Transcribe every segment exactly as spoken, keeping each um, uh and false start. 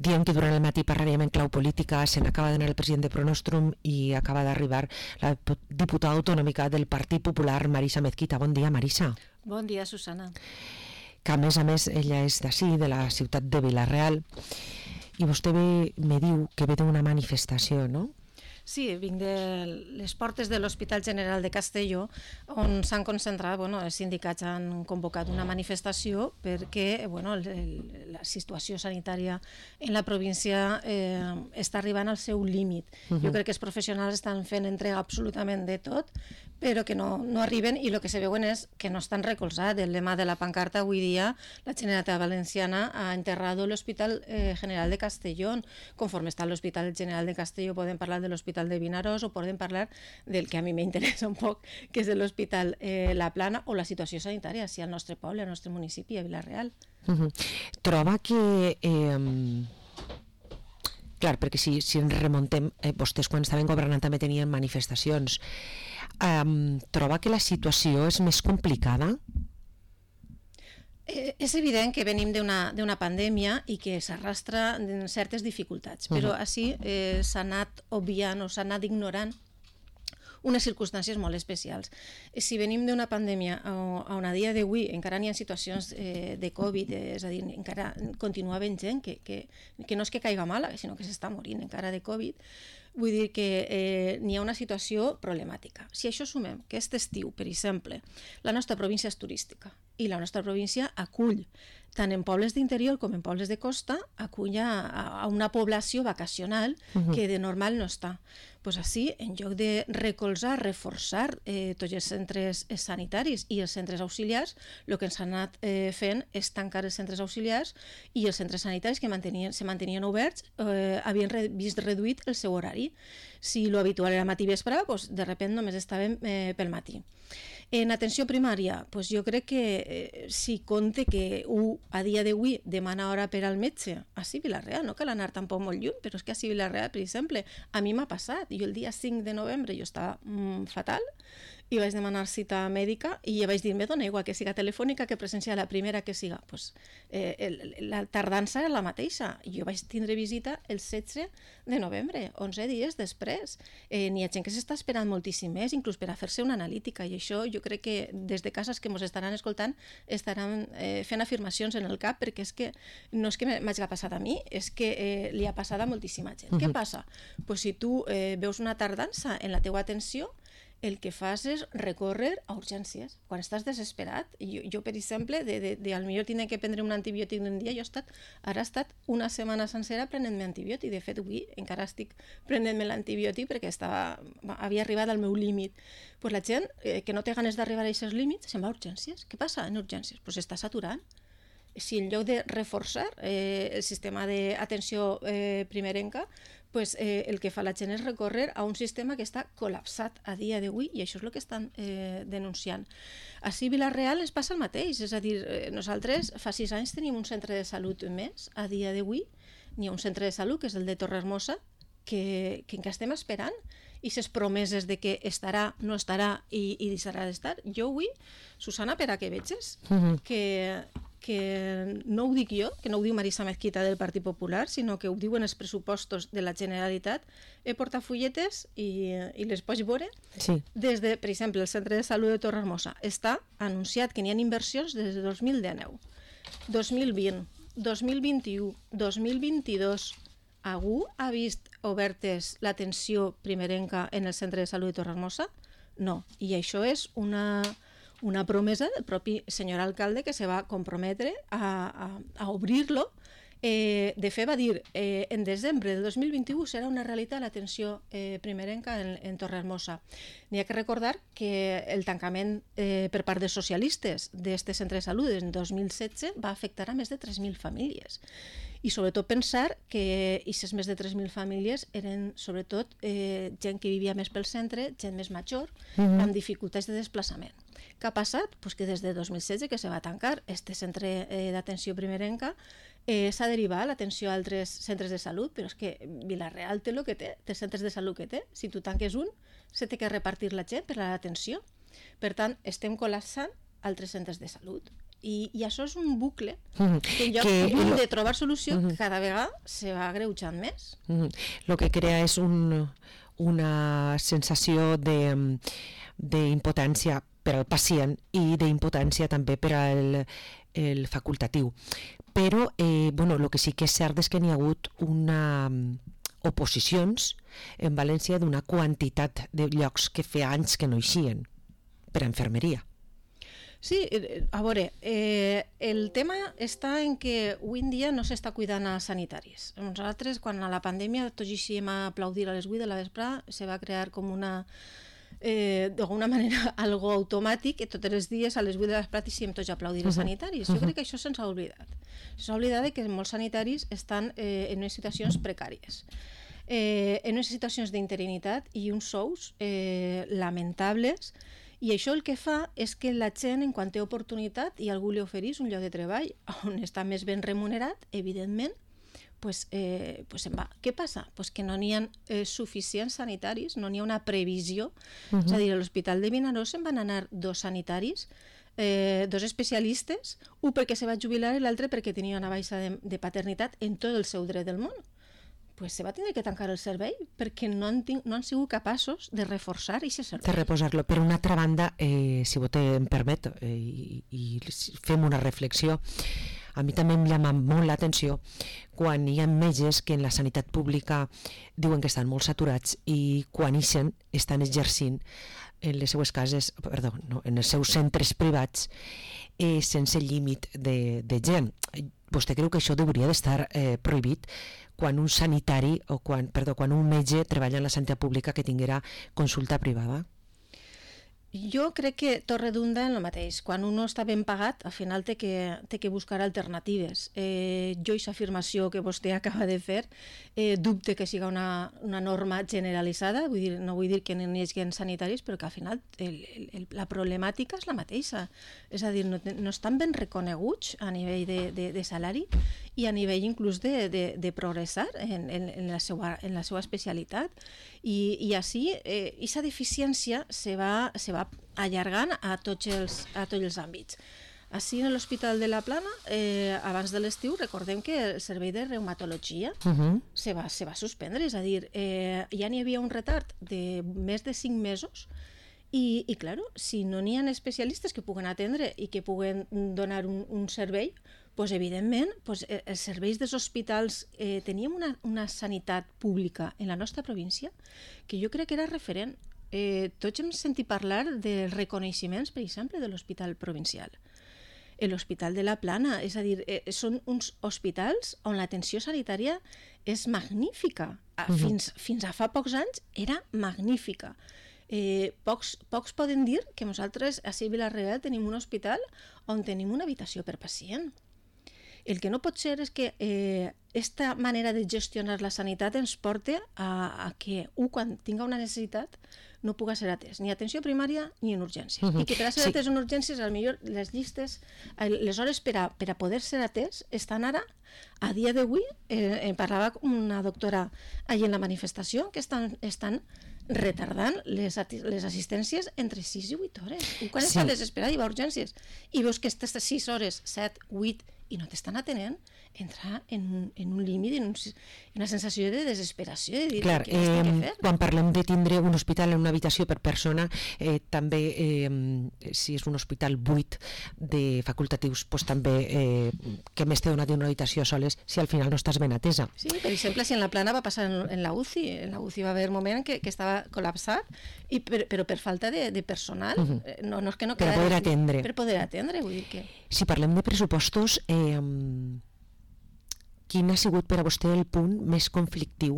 Diem que durant el matí parlaríem en clau política, se n'acaba d'anar el president de Pronostrum i acaba d'arribar la diputada autonòmica del Partit Popular, Marisa Mezquita. Bon dia, Marisa. Bon dia, Susana. Que a més a més ella és d'ací, de la ciutat de Vila-real, i vostè ve, me diu que ve d'una manifestació, no? Sí, vinc de les portes de l'Hospital General de Castelló, on s'han concentrat, bueno, els sindicats han convocat una manifestació perquè, bueno, el, el, la situació sanitària en la província eh, està arribant al seu límit. Uh -huh. Jo crec que els professionals estan fent entrega absolutament de tot, però que no, no arriben, i el que se veuen és que no estan recolzats. El lema de la pancarta avui dia, la Generalitat Valenciana ha enterrado l'Hospital eh, General de Castelló. Conforme està l'Hospital General de Castelló podem parlar de l'Hospital de Vinaròs o podem parlar del que a mi m'interessa un poc, que és l'Hospital eh, La Plana, o la situació sanitària si al nostre poble, al nostre municipi, a Vila-real. Uh -huh. Troba que... Eh... Clar, perquè si, si ens remontem, eh, vostès quan estaven governant també tenien manifestacions. Um, troba que la situació és més complicada? Eh, és evident que venim d'una pandèmia i que s'arrastra certes dificultats, però uh-huh. així eh, s'ha anat obviant o s'ha anat ignorant unes circumstàncies molt especials. Si venim d'una pandèmia on a dia d'avui encara n'hi ha situacions eh, de Covid, eh, és a dir, encara continua havent gent que, que, que no és que caiga mala, sinó que s'està morint encara de Covid, vull dir que eh, n'hi ha una situació problemàtica. Si això sumem que aquest estiu, per exemple, la nostra província és turística i la nostra província acull, tant en pobles d'interior com en pobles de costa, acull a, a una població vacacional uh-huh. que de normal no està. Pues així, en lloc de recolzar, reforçar eh, tots els centres sanitaris i els centres auxiliars, el que ens han anat eh, fent és tancar els centres auxiliars, i els centres sanitaris que mantenien, se mantenien oberts eh, havien re, vist reduït el seu horari. Si l'habitual era matí i vespre, pues, de sobte només estàvem eh, pel matí. En atenció primària, pues jo crec que eh, si compte que un a dia d'avui demana hora per al metge, així a Vila-real, no cal anar tampoc molt lluny, però és que així a Vila-real, per exemple, a mi m'ha passat. Jo el dia cinc de novembre jo estava mm, fatal i vaig demanar cita mèdica i ja vaig dir, me dona igual que siga telefònica que presencial, la primera que siga. Pues, eh, el, la tardança era la mateixa. Jo vaig tindre visita el setze de novembre, onze dies després. Eh, n'hi ha gent que s'està esperant moltíssim més, inclús per a fer-se una analítica, i això jo crec que des de cases que ens estaran escoltant estaran eh, fent afirmacions en el cap, perquè és que no és que m'hagi passat a mi, és que eh, li ha passat a moltíssima gent. Uh -huh. Què passa? Pues si tu eh, veus una tardança en la teua atenció, el que fas és recórrer a urgències. Quan estàs desesperat, jo, jo per exemple, de, de, de al millor tindre que prendre un antibiòtic un dia, jo he estat, ara he estat una setmana sencera prenent-me antibiòtic. De fet, avui encara estic prenent-me l'antibiòtic perquè estava, havia arribat al meu límit. Pues la gent eh, que no té ganes d'arribar a aquests límits se'n va a urgències. Què passa en urgències? Pues s'està saturant. Si en lloc de reforçar eh, el sistema d'atenció eh, primerenca, pues, eh, el que fa la gent és recórrer a un sistema que està col·lapsat a dia d'avui, i això és el que estan eh, denunciant. Així a Vila-real ens passa el mateix, és a dir, eh, nosaltres fa sis anys tenim un centre de salut més, a dia d'avui n'hi ha un centre de salut que és el de Torrehermosa, que, que encara estem esperant, i ses promeses de que estarà, no estarà i, i deixarà d'estar. Jo avui, Susana, per a que veges uh-huh. que... que no ho dic jo, que no ho diu Marisa Mezquita del Partit Popular, sinó que ho diuen els pressupostos de la Generalitat, he portat fulletes i, i les pots veure. Sí. Des de, per exemple, el Centre de Salut de Torrehermosa està anunciat que n'hi ha inversions des de dos mil dinou, dos mil vint, dos mil vint-i-u, dos mil vint-i-dos. Algú ha vist obertes l'atenció primerenca en el Centre de Salut de Torrehermosa? No, i això és una... una promesa del propi senyor alcalde que se va comprometre a, a, a obrir-lo. Eh, de fet va dir eh, en desembre del dos mil vint-i-u serà una realitat l'atenció eh, primerenca en, en Torrehermosa. N'hi ha que recordar que el tancament eh, per part dels socialistes d'aquest centre de salut en dos mil setze va afectar a més de tres mil famílies, i sobretot pensar que aquestes més de tres mil famílies eren sobretot eh, gent que vivia més pel centre, gent més major, uh-huh. amb dificultats de desplaçament. Què ha passat? Pues que des de dos mil setze que se va tancar este centre eh, d'atenció primerenca, eh, s'ha derivat l'atenció a altres centres de salut, però és que Vila-real té el que té, té centres de salut que té. Si tu tanques un, se té que repartir la gent per a l'atenció. Per tant, estem col·lapsant altres centres de salut. I, i això és un bucle que en lloc que, de trobar solució uh -huh. cada vegada se va agreujant més. Uh -huh. Lo que crea és un, una sensació de, de impotència per al pacient i d'impotència també per al el facultatiu. Però eh, bueno, el que sí que és cert és que n'hi ha hagut una oposicions en València d'una quantitat de llocs que feia anys que no eixien per a infermeria. Sí, a veure, eh, el tema està en que avui en dia no s'està cuidant als sanitaris. Nosaltres, quan a la pandèmia tots eixíem a aplaudir a les vuit de la vesprada, se va crear com una, eh, d'alguna manera, algo automàtic, que tots els dies a les vuit de la vesprada eixíem tots a aplaudir els sanitaris. Jo crec que això se'ns ha oblidat. S'ha oblidat que molts sanitaris estan eh, en unes situacions precàries. Eh, en unes situacions d'interinitat i uns sous eh, lamentables. I això el que fa és que la gent, en quan té oportunitat i algú li oferís un lloc de treball on està més ben remunerat, evidentment, pues, eh, pues se'n va. Què passa? Pues que no n'hi ha eh, suficients sanitaris, no n'hi ha una previsió. Uh-huh. És a dir, a l'Hospital de Vinaròs se'n van anar dos sanitaris, eh, dos especialistes, un perquè se va jubilar i l'altre perquè tenia una baixa de, de paternitat en tot el seu dret del món. Pues se va tindre que tancar el servei perquè no han, no han sigut capaços de reforçar aquest servei. De reposar-lo. Per una altra banda, eh, si vostè em permet, eh, i, i fem una reflexió, a mi també em llama molt l'atenció quan hi ha metges que en la sanitat pública diuen que estan molt saturats i quan ixen estan exercint en les seues cases, perdó, no, en els seus centres privats eh, sense límit de, de gent. Vostè creu que això hauria d'estar eh, prohibit quan un sanitari o quan, perdó, quan un metge treballa en la sanitat pública que tinguera consulta privada? Jo crec que tot redunda en el mateix. Quan un no està ben pagat, al final té que, té que buscar alternatives. Eh, jo aquesta afirmació que vostè acaba de fer, eh, dubte que siga una, una norma generalitzada, vull dir, no vull dir que n'hi hagi sanitaris, però que al final el, el, la problemàtica és la mateixa. És a dir, no, no estan ben reconeguts a nivell de, de, de salari i a nivell inclús de, de, de progressar en, en, en, la seva, en la seva especialitat. I, i així, eh, aquesta deficiència se va, se va allargant a tots els, a tots els àmbits. Així, en l'Hospital de la Plana, eh, abans de l'estiu, recordem que el servei de reumatologia uh-huh. se, va, se va suspendre, és a dir, eh, ja n'hi havia un retard de més de cinc mesos i, i clar, si no n'hi ha especialistes que puguen atendre i que puguen donar un, un servei, pues, evidentment, pues, els serveis dels hospitals, eh, teníem una, una sanitat pública en la nostra província que jo crec que era referent. Eh, tots hem sentit parlar dels reconeixements, per exemple, de l'Hospital Provincial. L'Hospital de la Plana, és a dir, eh, són uns hospitals on l'atenció sanitària és magnífica. Uh-huh. Fins, fins a fa pocs anys era magnífica. Eh, pocs, pocs poden dir que nosaltres a Vila-real tenim un hospital on tenim una habitació per pacient. El que no pot ser és que eh, esta manera de gestionar la sanitat ens porte a, a que un, quan tinga una necessitat, no puga ser atès, ni atenció primària ni en urgències. Uh-huh. I que per a ser sí. atès en urgències, potser les llistes, les hores per a, per a poder ser atès estan ara, a dia d'avui, eh, en parlava una doctora allà en la manifestació, que estan, estan retardant les, les assistències entre sis i vuit hores. Quan sí. estàs desesperat i va a urgències i veus que estàs sis hores, set, vuit, i no t'estan atenent, entrar en un, en un límit, en, un, en una sensació de desesperació, de dir Clar, què eh, que fer. Quan parlem de tindre un hospital en una habitació per persona, eh, també, eh, si és un hospital buit de facultatius, pues, també eh, que més t'he donat una habitació soles si al final no estàs ben atesa. Sí, per exemple, si en la Plana va passar en, en la U C I, en la U C I va haver un moment en què, que estava col·lapsat, i per, però per falta de, de personal, uh-huh. no, no és que no per poder atendre. Per poder atendre, vull dir que... Si parlem de pressupostos, eh, quin ha sigut per a vostè el punt més conflictiu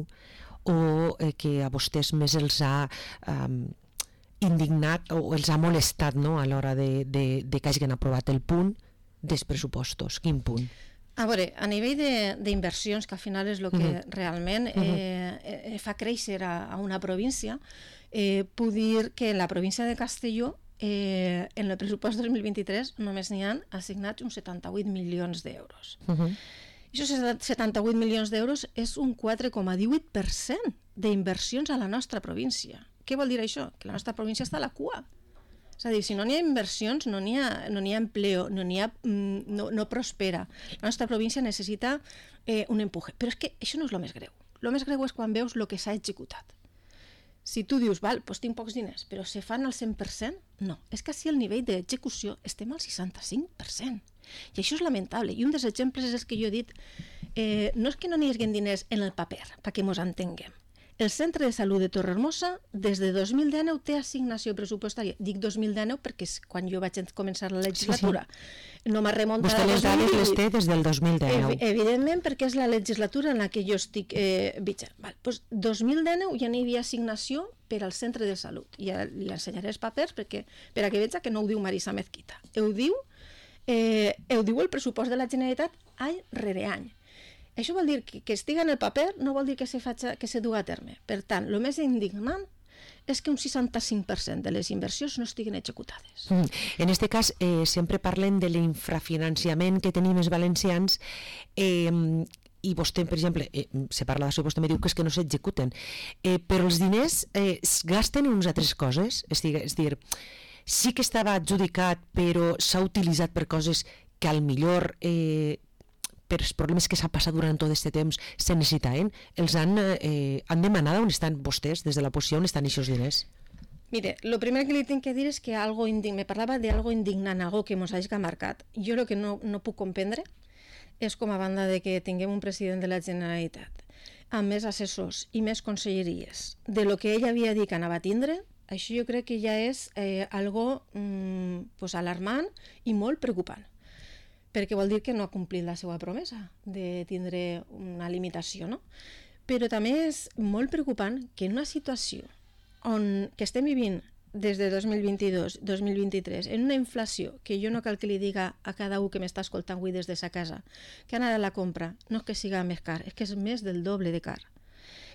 o eh, que a vostès més els ha eh, indignat o els ha molestat, no?, a l'hora de, de, de que hagin aprovat el punt dels pressupostos? Quin punt? A veure, a nivell d'inversions, que al final és el que uh-huh. realment eh, eh, fa créixer a, a una província, eh, puc dir que en la província de Castelló Eh, en el pressupost dos mil vint-i-tres només n'hi han assignats uns setanta-vuit milions d'euros. Uh-huh. I aquests setanta-vuit milions d'euros és un quatre coma divuit per cent d'inversions a la nostra província. Què vol dir això? Que la nostra província està a la cua. És a dir, si no n'hi ha inversions, no n'hi ha, no n'hi ha empleo, no n'hi ha, no, no prospera. La nostra província necessita eh, un empuje. Però és que això no és el més greu. El més greu és quan veus el que s'ha executat. Si tu dius, val, doncs tinc pocs diners, però se fan al cent per cent? No. És que si el nivell d'execució estem al seixanta-cinc per cent. I això és lamentable. I un dels exemples és el que jo he dit, eh, no és que no n'hi hagi diners en el paper, perquè ens entenguem. El Centre de Salut de Torrehermosa, des de dos mil dinou, té assignació pressupostària. Dic dos mil dinou perquè és quan jo vaig començar la legislatura. Sí, sí. No m'ha remuntat... Vostè les dades les té des del dos mil dinou. Evidentment, perquè és la legislatura en la que jo estic eh, vigent. Val. Pues dos mil dinou ja n'hi havia assignació per al Centre de Salut. I ja li ensenyaré els papers perquè, per a que veig que no ho diu Marisa Mezquita. Ho diu, eh, ho diu el pressupost de la Generalitat any rere any. Això vol dir que, que estiga en el paper, no vol dir que se, faci, que se du a terme. Per tant, el més indignant és que un seixanta-cinc per cent de les inversions no estiguin executades. Mm. En aquest cas, eh, sempre parlen de l'infrafinanciament que tenim els valencians, eh, i vostè, per exemple, eh, se parla d'això, vostè me diu que és que no s'executen, eh, però els diners eh, es gasten en unes altres coses, és dir, és dir, sí que estava adjudicat, però s'ha utilitzat per coses que al millor... Eh, per els problemes que s'han passat durant tot aquest temps se necessitaven, els han, eh, han demanat on estan vostès, des de la posició, on estan aquests diners? Mire, lo primer que li tinc que dir és que algo indig... me parlava d'algo indignant, algo que mos hagi marcat. Jo el que no, no puc comprendre és com a banda de que tinguem un president de la Generalitat amb més assessors i més conselleries de lo que ell havia dit que anava a tindre, això jo crec que ja és eh, algo mm, pues alarmant i molt preocupant, perquè vol dir que no ha complit la seva promesa de tindre una limitació, no? Però també és molt preocupant que en una situació on que estem vivint des de dos mil vint-i-dos dos mil vint-i-tres, en una inflació que jo no cal que li diga a cada un que m'està escoltant avui des de sa casa que anar a la compra no és que siga més car, és que és més del doble de car.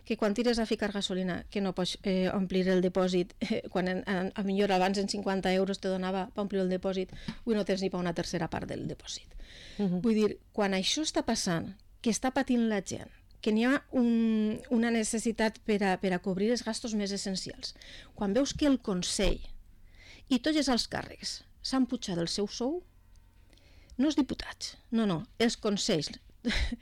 Que quan tires a ficar gasolina, que no pots eh, omplir el depòsit, eh, quan en, a, a millor abans en cinquanta euros te donava per omplir el depòsit, avui no tens ni per una tercera part del depòsit. Uh-huh. Vull dir, quan això està passant, que està patint la gent, que n'hi ha un, una necessitat per a, per a cobrir els gastos més essencials, quan veus que el Consell i tots els alts càrrecs s'han pujat el seu sou, no els diputats, no, no, els consells,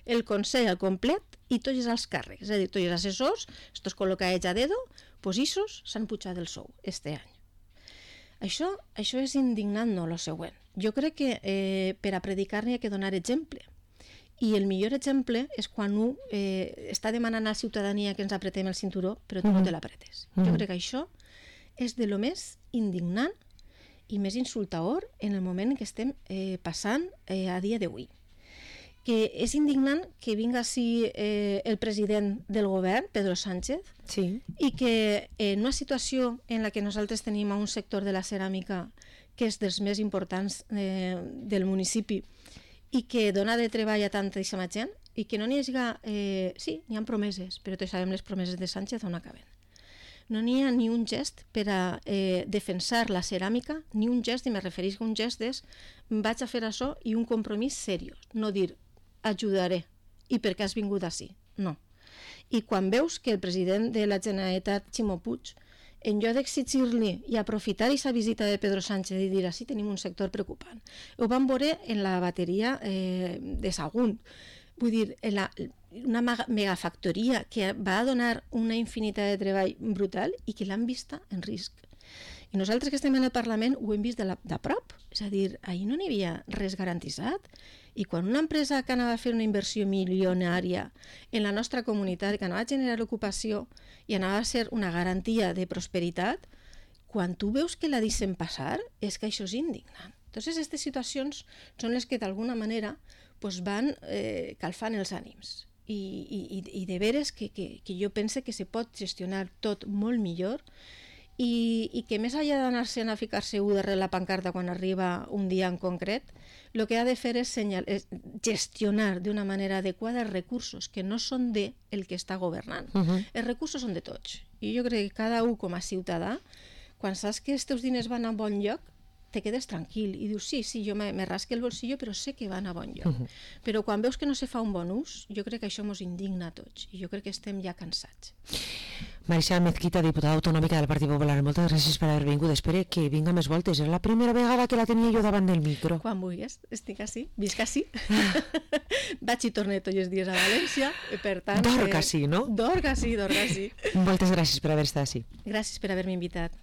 el Consell al complet i tots els alts càrrecs, és a dir, tots els assessors, estos col·locats a dedo, pues issos s'han pujat el sou este any. Això, això és indignant, no, lo següent. Jo crec que eh, per a predicar n'hi ha que donar exemple. I el millor exemple és quan un eh, està demanant a la ciutadania que ens apretem el cinturó, però tu mm-hmm. no te l'apretes. Mm-hmm. Jo crec que això és de lo més indignant i més insultador en el moment en què estem eh, passant eh, a dia d'avui. Que és indignant que vinga així eh, el president del govern, Pedro Sánchez, sí. i que en una situació en la que nosaltres tenim a un sector de la ceràmica que és dels més importants eh, del municipi i que dona de treball a tantíssima gent i que no n'hi hagi... Eh, sí, n'hi ha promeses, però tots sabem les promeses de Sánchez on acaben. No n'hi ha ni un gest per a eh, defensar la ceràmica, ni un gest, i me referís a un gest és vaig a fer això i un compromís seriós, no dir ajudaré, i per què has vingut així? No. I quan veus que el president de la Generalitat, Ximo Puig, en lloc d'exigir-li i aprofitar aquesta visita de Pedro Sánchez i dir així tenim un sector preocupant, ho van veure en la bateria eh, de Sagunt, vull dir, en la, una megafactoria que va donar una infinitat de treball brutal i que l'han vista en risc. I nosaltres que estem en el Parlament ho hem vist de, la, de prop, és a dir, ahir no n'hi havia res garantitzat. I quan una empresa que anava a fer una inversió milionària en la nostra comunitat, que anava a generar ocupació i anava a ser una garantia de prosperitat, quan tu veus que la deixen passar, és que això és indignant. Entonces, aquestes situacions són les que d'alguna manera pues, van eh, calfant els ànims. I, i, i de veres que, que, que jo pense que se pot gestionar tot molt millor i, i que més enllà d'anar-se a ficar-se u darrere la pancarta quan arriba un dia en concret, el que ha de fer és, senyal, és gestionar d'una manera adequada els recursos que no són de el que està governant. Uh-huh. Els recursos són de tots. I jo crec que cada un com a ciutadà, quan saps que els teus diners van a bon lloc, te quedes tranquil i dius, sí, sí, jo me, me rasque el bolsillo, però sé que van a bon lloc. Uh-huh. Però quan veus que no se fa un bon ús, jo crec que això mos indigna a tots i jo crec que estem ja cansats. Marixal Mezquita, diputada autonòmica del Partit Popular, moltes gràcies per haver vingut. Espero que vinga més voltes. És la primera vegada que la tenia jo davant del micro. Quan vulguis, estic així, visc així. Vaig i torne tots els dies a València, per tant... Dorc així, no? Dorc així, dorc així. Moltes gràcies per haver estat així. Gràcies per haver-me invitat.